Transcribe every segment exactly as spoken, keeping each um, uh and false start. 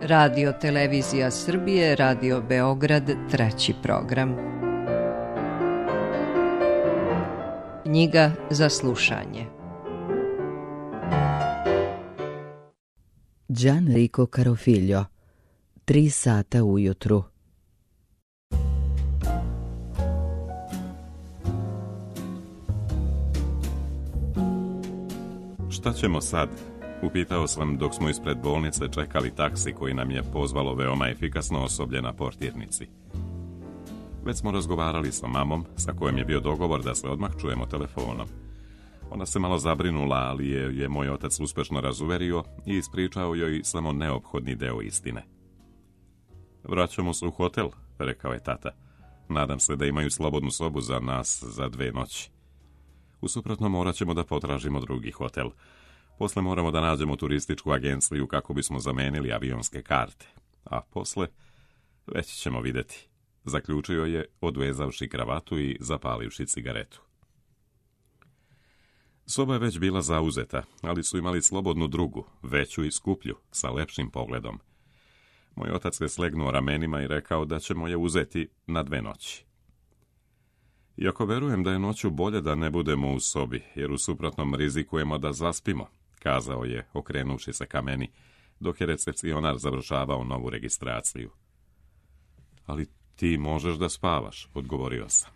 Radio Televizija Srbije, Radio Beograd, treći program. Knjiga za slušanje. Gianrico Carofiglio, Tri sata ujutru. Šta ćemo sad? Upitao sam dok smo ispred bolnice čekali taksi koji nam je pozvalo veoma efikasno osoblje na portirnici. Već smo razgovarali sa mamom, sa kojom je bio dogovor da se odmah čujemo telefonom. Ona se malo zabrinula, ali je, je moj otac uspešno razuverio i ispričao joj samo neophodni deo istine. Vraćamo se u hotel, rekao je tata. Nadam se da imaju slobodnu sobu za nas za dve noći. U suprotnom morat ćemo da potražimo drugi hotel. Posle moramo da nađemo turističku agenciju kako bismo zamenili avionske karte. A posle, već ćemo vidjeti, zaključio je odvezavši kravatu i zapalivši cigaretu. Soba je već bila zauzeta, ali su imali slobodnu drugu, veću i skuplju, sa lepšim pogledom. Moj otac je slegnuo ramenima i rekao da ćemo je uzeti na dve noći. Iako verujem da je noću bolje da ne budemo u sobi, jer u suprotnom rizikujemo da zaspimo, kazao je, okrenuši se ka meni, dok je recepcionar završavao novu registraciju. Ali ti možeš da spavaš, odgovorio sam.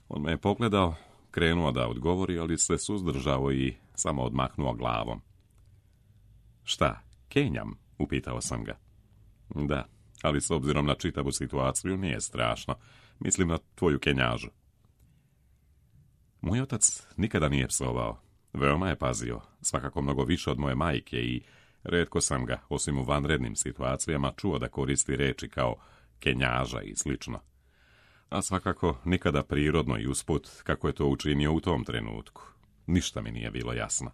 On me je pogledao, krenuo da odgovori, ali se suzdržao i samo odmahnuo glavom. Šta, kenjam? Upitao sam ga. Da, ali s obzirom na čitavu situaciju nije strašno. Mislim na tvoju kenjažu. Moj otac nikada nije psovao. Veoma je pazio, svakako mnogo više od moje majke i retko sam ga, osim u vanrednim situacijama, čuo da koristi reči kao kenjaža i slično. A svakako nikada prirodno i usput, kako je to učinio u tom trenutku. Ništa mi nije bilo jasno.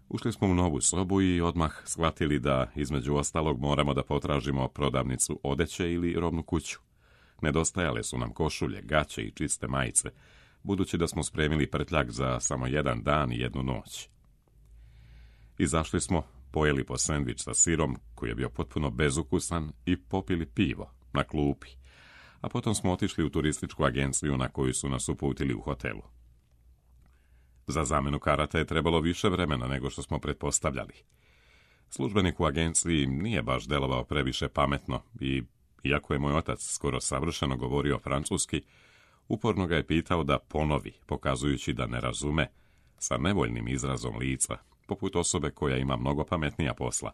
Ušli smo u novu sobu i odmah shvatili da, između ostalog, moramo da potražimo prodavnicu odeće ili robnu kuću. Nedostajale su nam košulje, gaće i čiste majice, budući da smo spremili prtljak za samo jedan dan i jednu noć. Izašli smo, pojeli po sendvič sa sirom, koji je bio potpuno bezukusan, i popili pivo na klupi, a potom smo otišli u turističku agenciju na koju su nas uputili u hotelu. Za zamenu karata je trebalo više vremena nego što smo pretpostavljali. Službenik u agenciji nije baš delovao previše pametno i, iako je moj otac skoro savršeno govorio francuski, uporno ga je pitao da ponovi, pokazujući da ne razume, sa nevoljnim izrazom lica, poput osobe koja ima mnogo pametnija posla,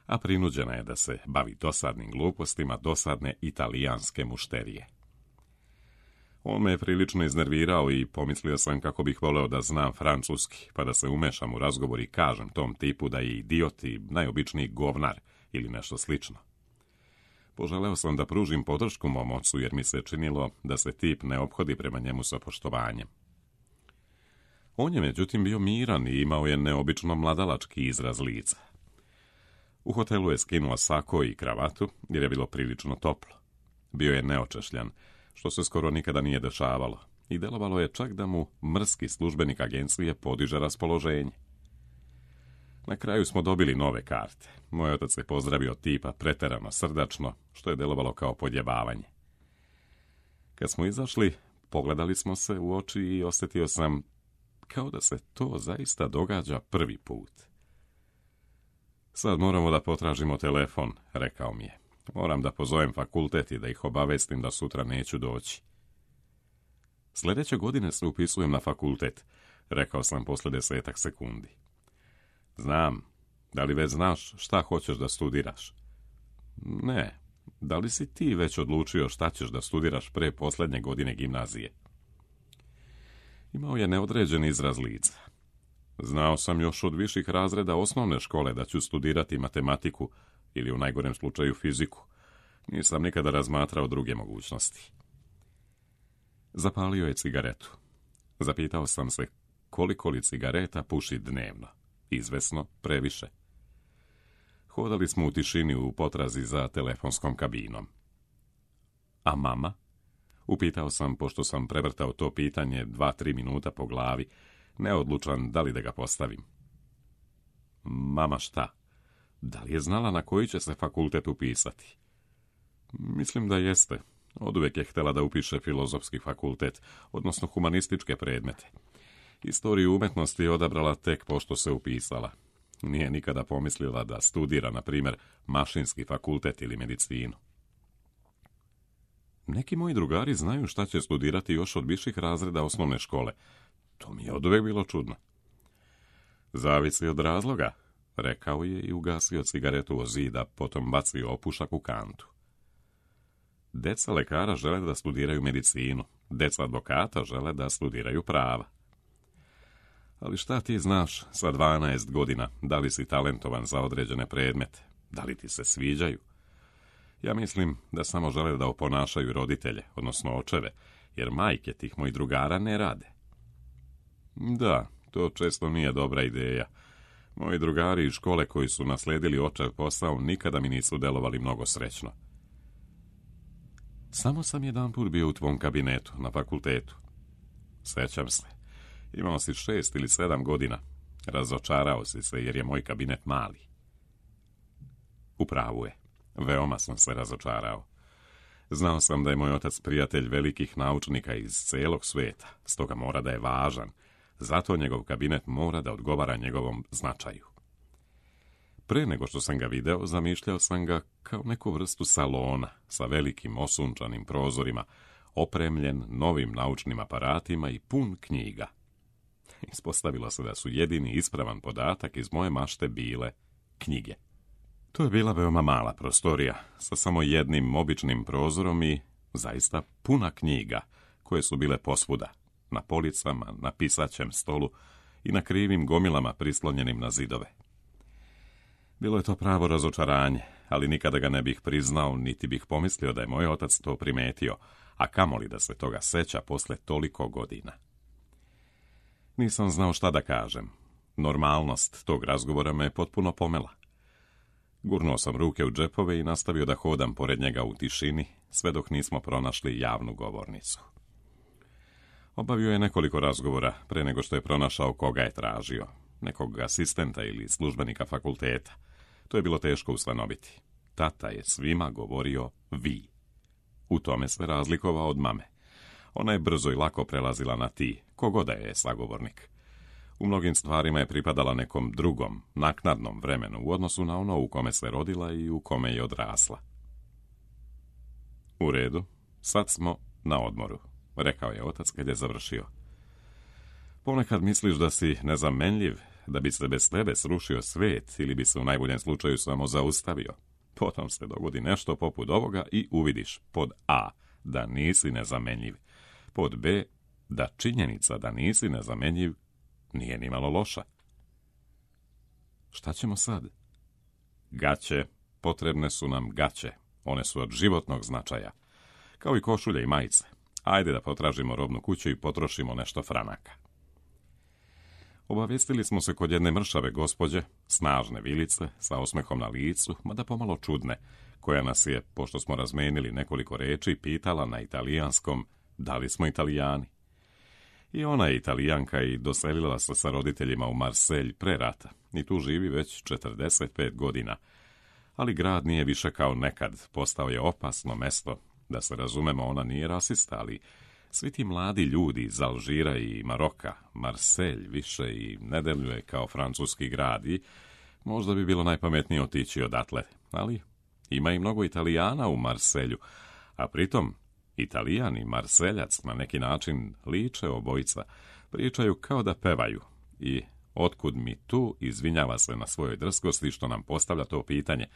a prinuđena je da se bavi dosadnim glupostima dosadne italijanske mušterije. On me je prilično iznervirao i pomislio sam kako bih voleo da znam francuski, pa da se umešam u razgovor i kažem tom tipu da je idiot i najobičniji govnar ili nešto slično. Poželeo sam da pružim podršku mom ocu, jer mi se činilo da se tip ne ophodi prema njemu sa poštovanjem. On je međutim bio miran i imao je neobično mladalački izraz lica. U hotelu je skinuo sako i kravatu, jer je bilo prilično toplo. Bio je neočešljan, što se skoro nikada nije dešavalo, i delovalo je čak da mu mrski službenik agencije podiže raspoloženje. Na kraju smo dobili nove karte. Moj otac je pozdravio tipa preterano srdačno, što je delovalo kao podjebavanje. Kad smo izašli, pogledali smo se u oči i osjetio sam kao da se to zaista događa prvi put. Sad moramo da potražimo telefon, rekao mi je. Moram da pozovem fakultet i da ih obavestim da sutra neću doći. Sljedeće godine se upisujem na fakultet, rekao sam posle desetak sekundi. Znam. Da li već znaš šta hoćeš da studiraš? Ne. Da li si ti već odlučio šta ćeš da studiraš pre posljednje godine gimnazije? Imao je neodređen izraz lica. Znao sam još od viših razreda osnovne škole da ću studirati matematiku ili u najgorem slučaju fiziku. Nisam nikada razmatrao druge mogućnosti. Zapalio je cigaretu. Zapitao sam se koliko li cigareta puši dnevno. Izvesno previše. Hodali smo u tišini u potrazi za telefonskom kabinom. A mama? Upitao sam, pošto sam prevrtao to pitanje dva, tri minuta po glavi, neodlučan da li da ga postavim. Mama šta? Da li je znala na koji će se fakultet upisati? Mislim da jeste. Oduvijek je htjela da upiše filozofski fakultet, odnosno humanističke predmete. Istoriju umjetnosti je odabrala tek pošto se upisala. Nije nikada pomislila da studira, na primjer, mašinski fakultet ili medicinu. Neki moji drugari znaju šta će studirati još od viših razreda osnovne škole. To mi je oduvijek bilo čudno. Zavisi od razloga, rekao je i ugasio cigaretu o zida, potom bacio opušak u kantu. Deca lekara žele da studiraju medicinu, deca advokata žele da studiraju prava. Ali šta ti znaš sa dvanaest godina, da li si talentovan za određene predmete, da li ti se sviđaju? Ja mislim da samo žele da oponašaju roditelje, odnosno očeve, jer majke tih mojih drugara ne rade. Da, to često nije dobra ideja. Moji drugari iz škole koji su nasledili očev posao nikada mi nisu delovali mnogo srećno. Samo sam jedan put bio u tvom kabinetu na fakultetu. Sećam se. Imao si šest ili sedam godina. Razočarao si se jer je moj kabinet mali. U pravu je. Veoma sam se razočarao. Znao sam da je moj otac prijatelj velikih naučnika iz celog sveta, stoga mora da je važan. Zato njegov kabinet mora da odgovara njegovom značaju. Pre nego što sam ga video, zamišljao sam ga kao neku vrstu salona sa velikim osunčanim prozorima, opremljen novim naučnim aparatima i pun knjiga. Ispostavilo se da su jedini ispravan podatak iz moje mašte bile knjige. To je bila veoma mala prostorija, sa samo jednim običnim prozorom i zaista puna knjiga, koje su bile posvuda, na policama, na pisaćem stolu i na krivim gomilama prislonjenim na zidove. Bilo je to pravo razočaranje, ali nikada ga ne bih priznao, niti bih pomislio da je moj otac to primetio, a kamoli da se toga seća posle toliko godina. Nisam znao šta da kažem. Normalnost tog razgovora me je potpuno pomela. Gurnuo sam ruke u džepove i nastavio da hodam pored njega u tišini, sve dok nismo pronašli javnu govornicu. Obavio je nekoliko razgovora pre nego što je pronašao koga je tražio. Nekog asistenta ili službenika fakulteta. To je bilo teško ustanoviti. Tata je svima govorio vi. U tome se razlikovao od mame. Ona je brzo i lako prelazila na ti, kogoda je sagovornik. U mnogim stvarima je pripadala nekom drugom, naknadnom vremenu u odnosu na ono u kome se rodila i u kome je odrasla. U redu, sad smo na odmoru, rekao je otac kad je završio. Ponekad misliš da si nezamenljiv, da bi se bez tebe srušio svet ili bi se u najboljem slučaju samo zaustavio. Potom se dogodi nešto poput ovoga i uvidiš pod A da nisi nezamenljiv, pod B da činjenica da nisi nezamenljiv nije ni malo loša. Šta ćemo sad? Gaće, potrebne su nam gaće, one su od životnog značaja, kao i košulje i majice. Ajde da potražimo robnu kuću i potrošimo nešto franaka. Obavestili smo se kod jedne mršave gospođe, snažne vilice, sa osmehom na licu, mada pomalo čudne, koja nas je, pošto smo razmenili nekoliko reči, pitala na italijanskom da li smo Italijani. I ona je Italijanka i doselila se sa roditeljima u Marselj pre rata i tu živi već četrdeset pet godina. Ali grad nije više kao nekad, postao je opasno mesto. Da se razumemo, ona nije rasista, ali svi ti mladi ljudi iz Alžira i Maroka, Marselj više i ne deluje kao francuski grad i možda bi bilo najpametnije otići odatle. Ali ima i mnogo Italijana u Marselju, a pritom Italijan i Marseljac na neki način liče obojica, pričaju kao da pevaju i otkud mi tu, izvinjava se na svojoj drskosti što nam postavlja to pitanje,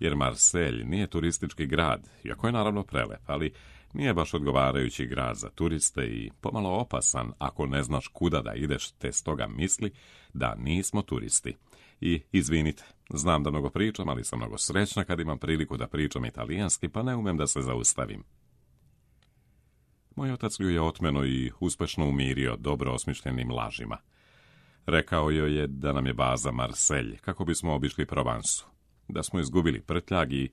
jer Marselj nije turistički grad, iako je naravno prelep, ali nije baš odgovarajući grad za turiste i pomalo opasan ako ne znaš kuda da ideš, te stoga misli da nismo turisti. I izvinite, znam da mnogo pričam, ali sam mnogo srećna kad imam priliku da pričam italijanski, pa ne umem da se zaustavim. Moj otac ju je otmeno i uspešno umirio dobro osmišljenim lažima. Rekao joj je da nam je baza Marselj, kako bismo obišli Provansu, da smo izgubili prtljag i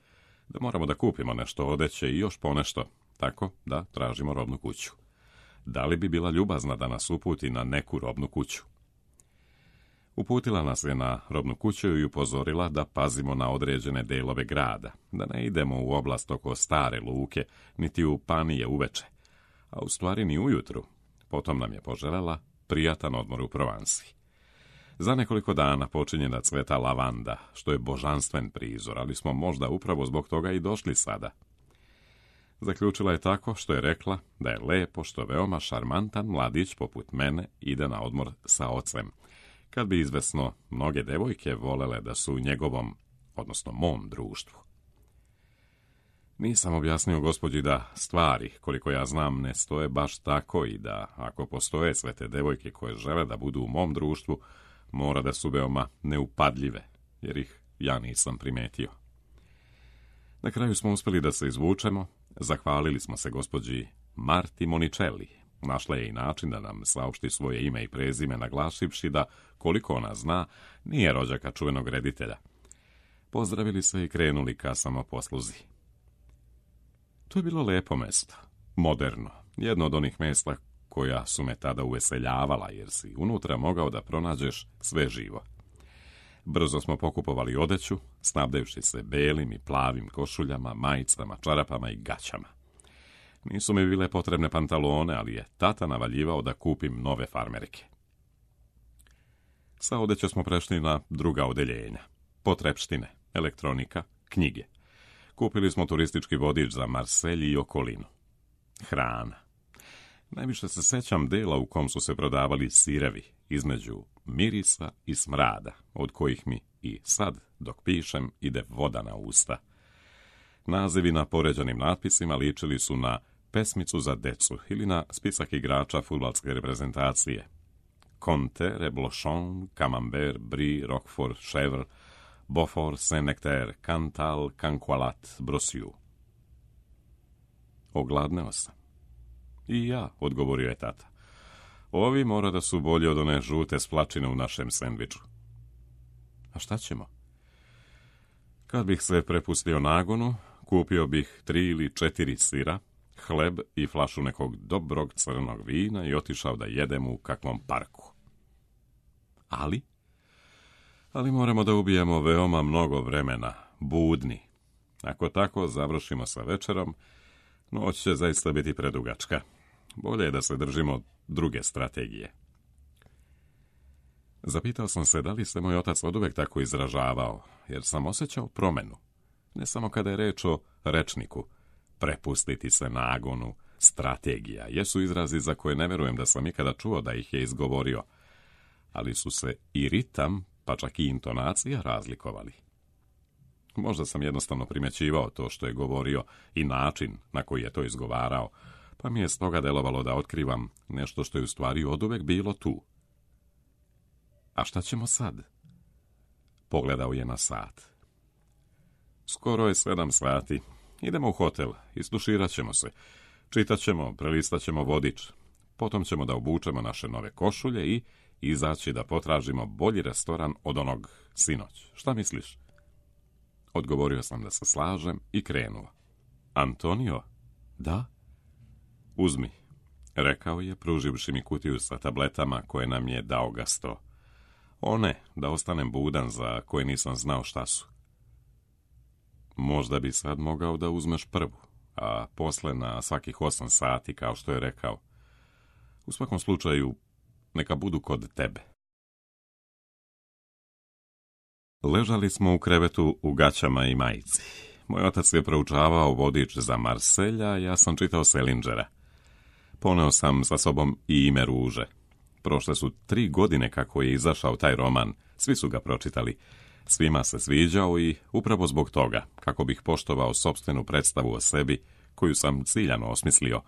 da moramo da kupimo nešto odeće i još ponešto, tako da tražimo robnu kuću. Da li bi bila ljubazna da nas uputi na neku robnu kuću? Uputila nas je na robnu kuću i upozorila da pazimo na određene delove grada, da ne idemo u oblast oko stare luke, niti u Panije uveče, a u stvari ni ujutru. Potom nam je poželjela prijatan odmor u Provansi. Za nekoliko dana počinje da cveta lavanda, što je božanstven prizor, ali smo možda upravo zbog toga i došli sada. Zaključila je tako što je rekla da je lepo što veoma šarmantan mladić poput mene ide na odmor sa ocem, kad bi izvesno mnoge devojke volele da su u njegovom, odnosno mom društvu. Nisam objasnio gospođi da stvari, koliko ja znam, ne stoje baš tako i da, ako postoje sve te devojke koje žele da budu u mom društvu, mora da su veoma neupadljive, jer ih ja nisam primetio. Na kraju smo uspjeli da se izvučemo, zahvalili smo se gospođi Marti Monicelli. Našla je i način da nam saopšti svoje ime i prezime, naglašivši da, koliko ona zna, nije rođaka čuvenog reditelja. Pozdravili se i krenuli ka samoposluzi. To je bilo lepo mesto, moderno, jedno od onih mjesta koja su me tada uveseljavala, jer si unutra mogao da pronađeš sve živo. Brzo smo pokupovali odeću, snabdevši se belim i plavim košuljama, majicama, čarapama i gaćama. Nisu mi bile potrebne pantalone, ali je tata navaljivao da kupim nove farmerke. Sa odećom smo prešli na druga odeljenja. Potrepštine, elektronika, knjige. Kupili smo turistički vodič za Marselj i okolinu. Hrana. Najviše se sećam dela u kom su se prodavali sirevi, između mirisa i smrada, od kojih mi i sad, dok pišem, ide voda na usta. Nazivi na poređanim natpisima ličili su na pesmicu za decu ili na spisak igrača fudbalske reprezentacije. Conte, Reblochon, Camembert, Brie, Roquefort, Chèvre, Beaufort, Saint-Nectaire, Cantal, Canqualat, Brossiu. Ogladneo sam. I ja, odgovorio je tata. Ovi mora da su bolji od one žute splačine u našem sendviču. A šta ćemo? Kad bih se prepustio nagonu, kupio bih tri ili četiri sira, hleb i flašu nekog dobrog crnog vina i otišao da jedem u kakvom parku. Ali? Ali moramo da ubijemo veoma mnogo vremena, budni. Ako tako završimo sa večerom, noć će zaista biti predugačka. Bolje je da se držimo druge strategije. Zapitao sam se da li se moj otac oduvek tako izražavao, jer sam osjećao promenu. Ne samo kada je reč o rečniku, prepustiti se nagonu, strategija, jesu izrazi za koje ne verujem da sam ikada čuo da ih je izgovorio, ali su se i ritam, pa čak i intonacija razlikovali. Možda sam jednostavno primjećivao to što je govorio i način na koji je to izgovarao, pa mi je stoga delovalo da otkrivam nešto što je u stvari oduvek bilo tu. A šta ćemo sad? Pogledao je na sat. Skoro je sedam sati. Idemo u hotel, istuširat ćemo se. Čitat ćemo, prelistat ćemo vodič. Potom ćemo da obučemo naše nove košulje i izaći da potražimo bolji restoran od onog sinoć. Šta misliš? Odgovorio sam da se slažem i krenuo. Antonio? Da? Uzmi, rekao je, pruživši mi kutiju sa tabletama koje nam je dao Gasto. One, da ostanem budan, za koje nisam znao šta su. Možda bi sad mogao da uzmeš prvu, a posle na svakih osam sati, kao što je rekao. U svakom slučaju, neka budu kod tebe. Ležali smo u krevetu u gaćama i majici. Moj otac je proučavao vodič za Marselja, ja sam čitao Selingera. Poneo sam sa sobom i Ime ruže. Prošle su tri godine kako je izašao taj roman, svi su ga pročitali. Svima se sviđao i upravo zbog toga, kako bih poštovao sopstvenu predstavu o sebi, koju sam ciljano osmislio,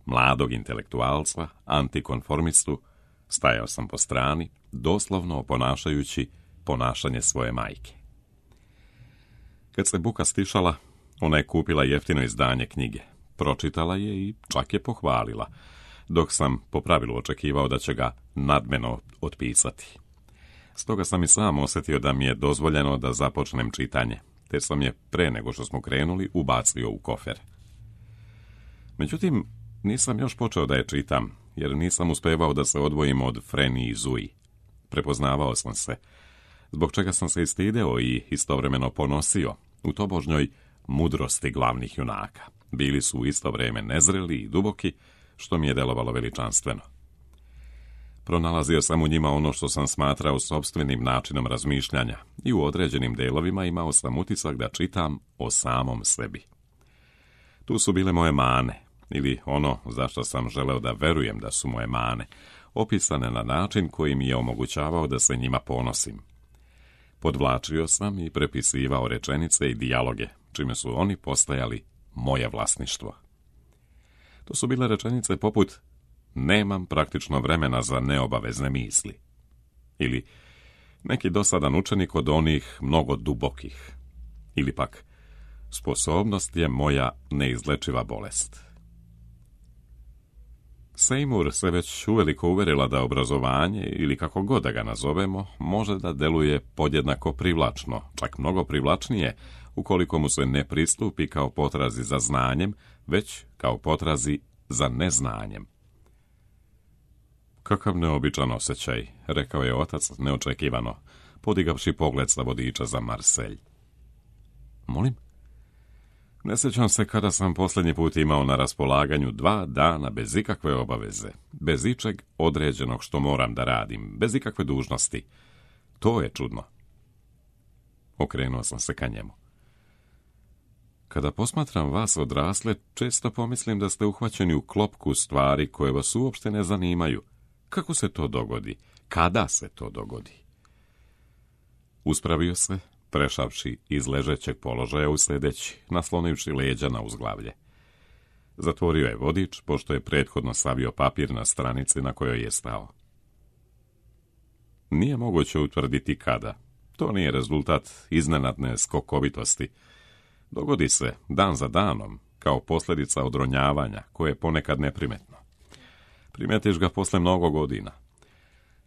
mladog intelektualca, antikonformistu, stajao sam po strani, doslovno oponašajući ponašanje svoje majke. Kad se buka stišala, ona je kupila jeftino izdanje knjige. Pročitala je i čak je pohvalila, dok sam po pravilu očekivao da će ga nadmeno otpisati. Stoga sam i sam osjetio da mi je dozvoljeno da započnem čitanje, te sam je pre nego što smo krenuli ubacio u kofer. Međutim, nisam još počeo da je čitam, jer nisam uspevao da se odvojim od Freni i Zui. Prepoznavao sam se, zbog čega sam se istideo i istovremeno ponosio u tobožnjoj mudrosti glavnih junaka. Bili su u isto vrijeme nezreli i duboki, što mi je delovalo veličanstveno. Pronalazio sam u njima ono što sam smatrao sopstvenim načinom razmišljanja i u određenim delovima imao sam utisak da čitam o samom sebi. Tu su bile moje mane, ili ono zašto sam želeo da verujem da su moje mane, opisane na način koji mi je omogućavao da se njima ponosim. Podvlačio sam i prepisivao rečenice i dijaloge, čime su oni postajali moje vlasništvo. To su bile rečenice poput nemam praktično vremena za neobavezne misli. Ili neki dosadan učenik od onih mnogo dubokih. Ili pak sposobnost je moja neizlečiva bolest. Seymour se već uveliko uverila da obrazovanje, ili kako god da ga nazovemo, može da deluje podjednako privlačno, čak mnogo privlačnije, ukoliko mu se ne pristupi kao potrazi za znanjem, već kao potrazi za neznanjem. Kakav neobičan osjećaj, rekao je otac neočekivano, podigavši pogled sa vodiča za Marselj. Molim? Ne sjećam se kada sam posljednji put imao na raspolaganju dva dana bez ikakve obaveze, bez ičeg određenog što moram da radim, bez ikakve dužnosti. To je čudno. Okrenuo sam se ka njemu. Kada posmatram vas odrasle, često pomislim da ste uhvaćeni u klopku stvari koje vas uopšte ne zanimaju. Kako se to dogodi? Kada se to dogodi? Uspravio se, prešavši iz ležećeg položaja u sljedeći, naslonivši leđa na uzglavlje. Zatvorio je vodič, pošto je prethodno savio papir na stranici na kojoj je stao. Nije moguće utvrditi kada. To nije rezultat iznenadne skokovitosti. Dogodi se dan za danom, kao posljedica odronjavanja, koje je ponekad neprimetno. Primetiš ga posle mnogo godina.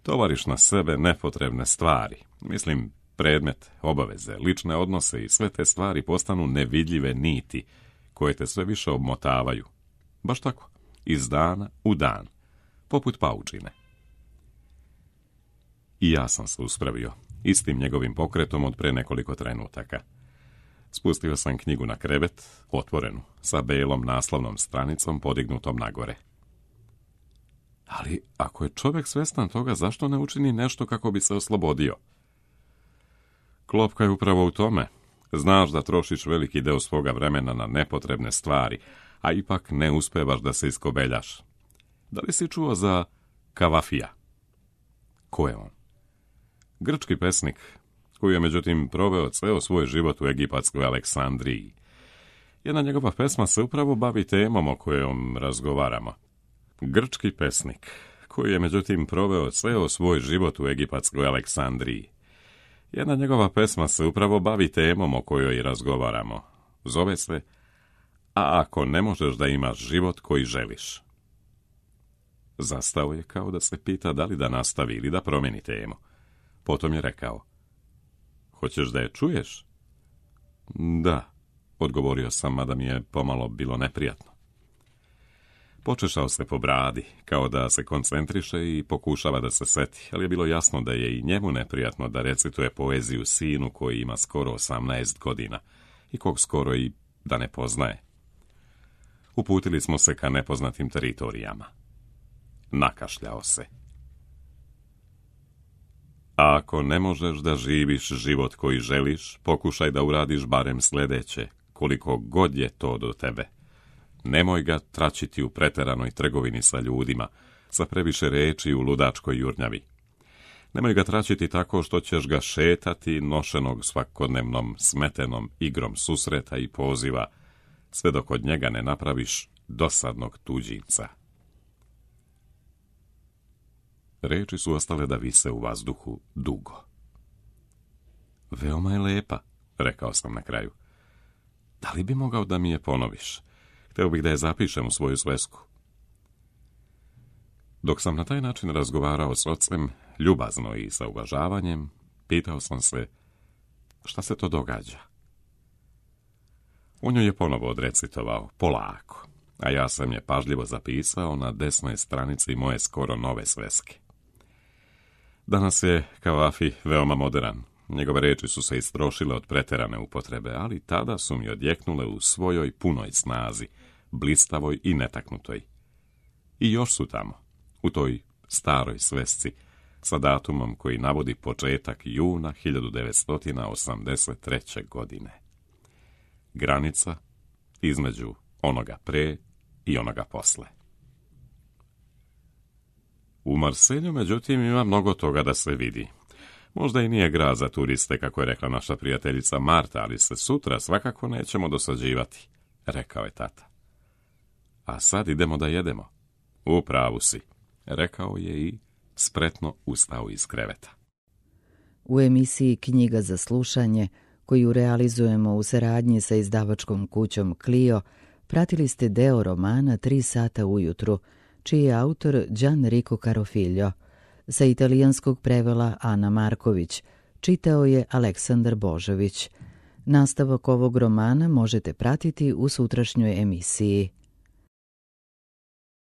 Tovariš na sebe nepotrebne stvari, mislim predmet, obaveze, lične odnose i sve te stvari postanu nevidljive niti, koje te sve više obmotavaju. Baš tako, iz dana u dan, poput paučine. I ja sam se uspravio, istim njegovim pokretom od pre nekoliko trenutaka. Spustio sam knjigu na krevet, otvorenu, sa belom naslovnom stranicom podignutom nagore. Ali ako je čovjek svestan toga, zašto ne učini nešto kako bi se oslobodio? Klopka je upravo u tome. Znaš da trošiš veliki deo svoga vremena na nepotrebne stvari, a ipak ne uspevaš da se iskobeljaš. Da li si čuo za Kavafija? Ko je on? Grčki pesnik, koji je međutim proveo ceo svoj život u egipatskoj Aleksandriji. Jedna njegova pesma se upravo bavi temom o kojom razgovaramo. Grčki pesnik, koji je međutim proveo ceo svoj život u egipatskoj Aleksandriji. Jedna njegova pesma se upravo bavi temom o kojoj razgovaramo. Zove se A ako ne možeš da imaš život koji želiš. Zastao je kao da se pita da li da nastavi ili da promeni temu. Potom je rekao: Hoćeš da je čuješ? Da, odgovorio sam, mada mi je pomalo bilo neprijatno. Počešao se po bradi, kao da se koncentriše i pokušava da se seti, ali je bilo jasno da je i njemu neprijatno da recituje poeziju sinu koji ima skoro osamnaest godina i kog skoro i da ne poznaje. Uputili smo se ka nepoznatim teritorijama. Nakašljao se. A ako ne možeš da živiš život koji želiš, pokušaj da uradiš barem sljedeće, koliko god je to do tebe. Nemoj ga tračiti u preteranoj trgovini sa ljudima, sa previše reči u ludačkoj jurnjavi. Nemoj ga tračiti tako što ćeš ga šetati nošenog svakodnevnom smetenom igrom susreta i poziva, sve dok od njega ne napraviš dosadnog tuđinca. Reči su ostale da vise u vazduhu dugo. Veoma je lepa, rekao sam na kraju. Da li bi mogao da mi je ponoviš? Hteo bih da je zapišem u svoju svesku. Dok sam na taj način razgovarao s ocem, ljubazno i sa uvažavanjem, pitao sam se šta se to događa. On joj je ponovo odrecitovao, polako, a ja sam je pažljivo zapisao na desnoj stranici moje skoro nove sveske. Danas je Kavafi veoma modern. Njegove reči su se istrošile od preterane upotrebe, ali tada su mi odjeknule u svojoj punoj snazi, blistavoj i netaknutoj. I još su tamo, u toj staroj svesci, sa datumom koji navodi početak juna hiljadu devetsto osamdeset treće. godine. Granica između onoga pre i onoga posle. U Marselju, međutim, ima mnogo toga da se vidi. Možda i nije grad za turiste, kako je rekla naša prijateljica Marta, ali se sutra svakako nećemo dosađivati, rekao je tata. A sad idemo da jedemo. U pravu si, rekao je i spretno ustao iz kreveta. U emisiji Knjiga za slušanje, koju realizujemo u saradnji sa izdavačkom kućom Clio, pratili ste deo romana Tri sata ujutru, čiji je autor Gianrico Carofiglio. Sa italijanskog prevela Ana Marković, čitao je Aleksandar Božović. Nastavak ovog romana možete pratiti u sutrašnjoj emisiji.